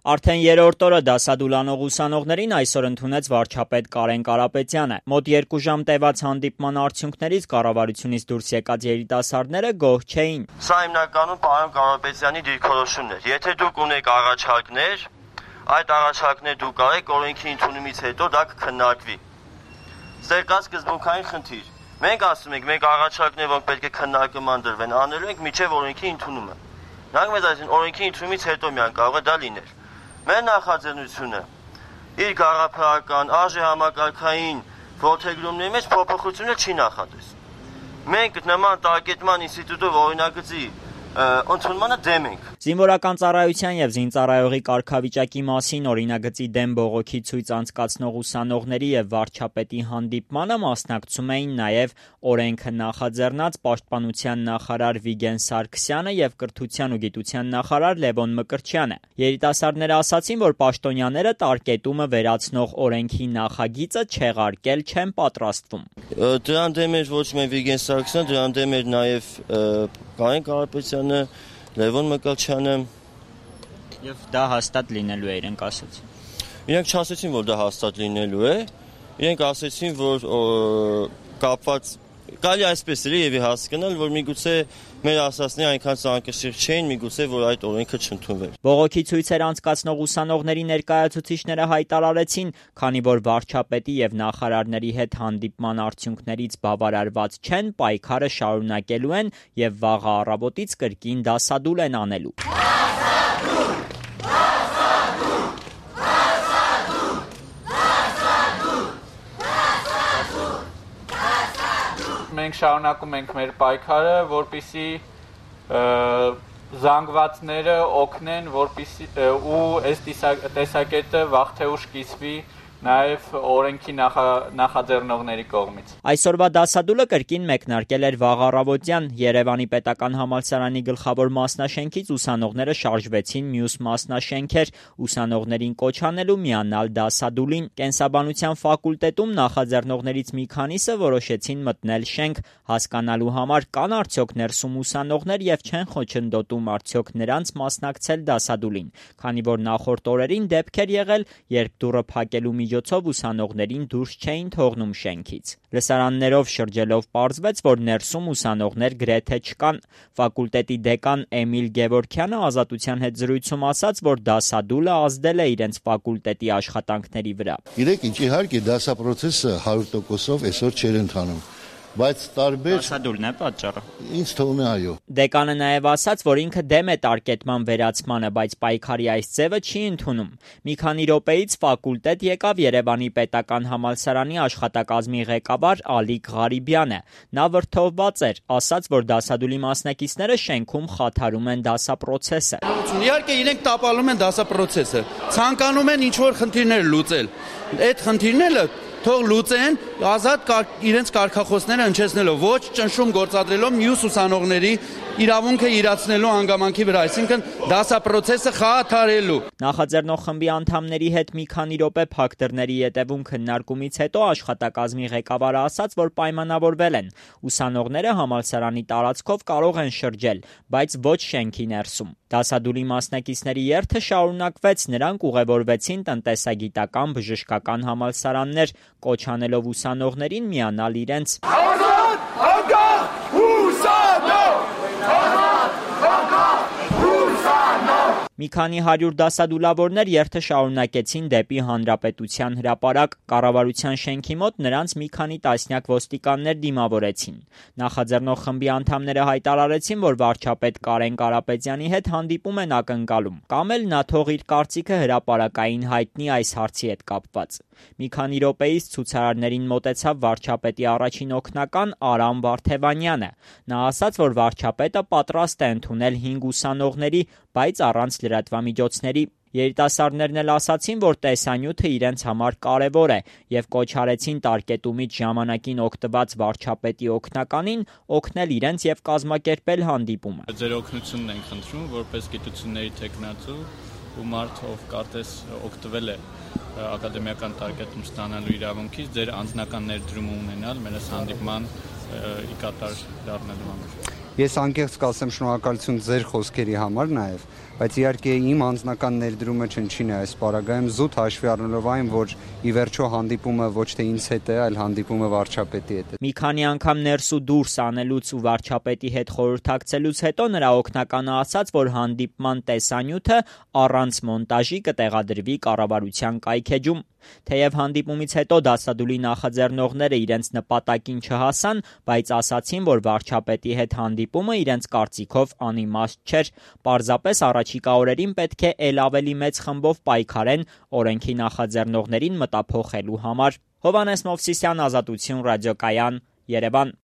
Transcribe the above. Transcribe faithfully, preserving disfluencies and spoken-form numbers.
Արդեն երրորդ օրը դասադուլանող ուսանողներին այսօր ընդունեց վարչապետ Կարեն Կարապետյանը։ Մոտ երկու ժամ տևած հանդիպման արդյունքներից կառավարությունից դուրս եկած երիտասարդները գոհ չէին։ Սա հիմնականում պարոն Կարապետյանի դիրքորոշումն էր։ Եթե դուք ունեք առաջարկներ, այդ առաջարկները դուք արեք, օրենքի ընդունումից հետո դա կքննարկվի։ Սա կա սկզբունքային խնդիր։ Մենք ասում ենք, մենք առաջարկներ, որ պետք է քննարկման դրվեն, անելու ենք մինչև օրենքի ընդունումը։ Նրանք մեզ ասեն, օրենքի ընդունումից հետո միան կարող է դա լինել։ Մեր նախաձեռնությունը իր գաղափարական, արժե համակարգային որդեգրումների մեջ փոփոխությունը չի նախատեսում։ Մենք նման տարկետման ինստիտուտով օրինագծի ընդունմանը դեմ ենք։ Զինվորական ծառայության եւ զինծառայողի կարգավիճակի մասին օրինագծի դեմ բողոքի ցույց անցկացնող ուսանողների եւ վարչապետի հանդիպմանը մասնակցում էին նաեւ օրենքը նախաձեռնած պաշտպանության նախարար Վիգեն Սարգսյանը եւ կրթության ու գիտության նախարար Լևոն Մկրտչյանը։ Երիտասարդները ասացին, որ պաշտոնյաները տարկետումը վերացնող օրենքի նախագիծը չեղարկել չեն պատրաստվում։ Դրան դեմ էր ոչ միայն Վիգեն Սարգսյանը, դրան դեմ էր նաեւ Կարեն Կարապետյանը, Լևոն Մկրտչյանը եւ դա հաստատ լինելու է, իրենք ասացին։ Իրենք չասեցին, որ դա հաստատ լինելու է, իրենք ասեցին, որ կապված կարելի այսպես էլի եւ հասկանալ, որ միգուցե մեր ասածները այնքան ցանկաշիռ չէին, միգուցե որ այդ օրենքը չընդունվեր։ Բողոքի ցույցեր անցկացնող ուսանողների ներկայացուցիչները հայտարարեցին, քանի որ վարչապետի եւ նախարարների հետ հանդիպման արդյունքներից բավարարված չեն, պայքարը շարունակելու են եւ վաղը առավոտից կրկին դասադուլ են անելու։ Մենք շարունակում ենք մեր պայքարը, որպեսզի զանգվածները օգնեն, որպեսզի ու այս տեսակետը վաղ թե ուշ կիսվի նաև օրենքի նախաձեռնողների կողմից։ Այսօրվա դասադուլը կրկին մեկնարկել էր վաղ առավոտյան։ Երևանի պետական համալսարանի գլխավոր մասնաշենքից ուսանողները շարժվեցին մյուս մասնաշենքեր, ուսանողներին կոչ անելու միանալ դասադուլին։ Կենսաբանության ֆակուլտետում նախաձեռնողներից մի քանիսը որոշեցին մտնել շենք, հասկանալու համար կան արդյոք ներսում ուսանողներ եւ չեն խոչընդոտում արդյոք նրանց մասնակցել դասադուլին, քանի որ նախորդ օրերին դեպքեր եղել, երբ դուռը փակելու միջոցով ուսանողներին դուրս չէին թողնում շենքից։ Լսարաններով շրջելով պարզվեց, որ ներսում ուսանողներ գրեթե չկան։ Ֆակուլտետի դեկան Էմիլ Գևորգյանը Ազատության հետ զրույցում ասաց, որ դասադուլը ազդել է իրենց ֆակուլտետի աշխատանքների վրա։ Գիտեք ինչ, իհարկե դասապրոցեսը հարյուր տոկոսով այսօր չէր ընթանում, բայց տարբեր դասադուլն է պատճառը։ Ինձ թվում է այո։ Դեկանը նաև ասաց, որ ինքը դեմ է տարկետման վերացմանը, բայց պայքարի այս ձևը չի ընդունում։ Մի քանի րոպեից ֆակուլտետ եկավ Երևանի պետական համալսարանի աշխատակազմի ղեկավար Ալիկ Ղարիբյանը։ Նա վրդովված էր, ասաց, որ դասադուլի մասնակիցները շենքում խաթարում են դասապրոցեսը։ Իհարկե իրենք տապալում են դասապրոցեսը, ցանկանում են ինչ-որ խնդիրներ լուծել։ Այդ խնդիրները թող լուծեն ազատ իրենց կարգախոսները հնչեցնելով, ոչ ճնշում գործադրելով մյուս ուսանողների իրավունքը իրացնելու հանգամանքի վրա, այսինքն դասապրոցեսը խաթարելու։ Նախաձեռնող խմբի անդամների հետ մի քանի րոպե փակ դռների ետևում քննարկումից հետո աշխատակազմի ղեկավարը ասաց, որ պայմանավորվել են։ Ուսանողները համալսարանի տարածքով կարող են շրջել, բայց ոչ շենքի ներսում։ Դասադուլի մասնակիցների երթը շարունակվեց, նրանք ուղևորվեցին տնտեսագիտական բժշկական համալսարաններ, կոչ անելով ուսանողներին միանալ իրենց Մի քանի հարյուր դասադուլավորներ երթը շարունակեցին դեպի Հանրապետության հրապարակ։ Կառավարության շենքի մոտ նրանց մի քանի տասնյակ ոստիկաններ դիմավորեցին։ Նախաձեռնող խմբի անդամները հայտարարեցին, որ վարչապետ Կարեն Կարապետյանի հետ հանդիպում են ակնկալում, կամ էլ նա թող իր կարծիքը հրապարակային հայտնի այս հարցի հետ կապված։ Մի քանի րոպեից ցուցարարներին մոտեցավ վարչապետի առաջին օգնական Արամ Վարդևանյանը։ Նա ասաց, որ վարչապետը պատրաստ է ընդունել հինգ ուսանողների, բայց առանց լրատվամիջոցների։ Երիտասարդներն էլ ասացին, որ տեսանյութը իրենց համար կարևոր է եւ կոչ արեցին տարկետումից ժամանակին օգտված վարչապետի օգնականին օգնել իրենց եւ կազմակերպել հանդիպումը։ Ձեր օգնությունն ենք խնդրում, որպես գիտությունների տեխնացու ու մարդ, ով կարծես օգտվել է ակադեմիական տարկետում ստանալու իրավունքից, ձեր անձնական ներդրումը ունենալ մեր հանդիպման ի կատար դառնալու համար։ Ես անկեղծ կասեմ շնորհակալություն ձեր խոսքերի համար նաև, բայց իհարկե իմ անձնական ներդրումը չնչին է այս պարագայում զուտ հաշվի առնելով այն, որ ի վերջո հանդիպումը ոչ թե ինձ հետ է, այլ հանդիպումը վարչապետի հետ է։ Մի քանի անգամ ներս ու դուրս անելուց ու վարչապետի հետ խորհրդակցելուց հետո նրա օգնականը ասաց, որ հանդիպման տեսանյութը առանց մոնտաժի կտեղադրվի կառավարության կայքէջում։ Թեև հանդիպումից հետո դասադուլի նախաձեռնողները իրենց նպատակին չհասան, բայց ասացին, որ վարչապետի հետ հանդիպումը իրենց կարծիքով անիմաստ չէր, պարզապես առաջիկա օրերին պետք է ել ավելի մեծ խմբով պայքարեն օրենքի նախաձեռնողներին մտափոխելու համար։ Հովհաննես Մովսիսյան, Ազատություն ռադիոկայան, Երևան։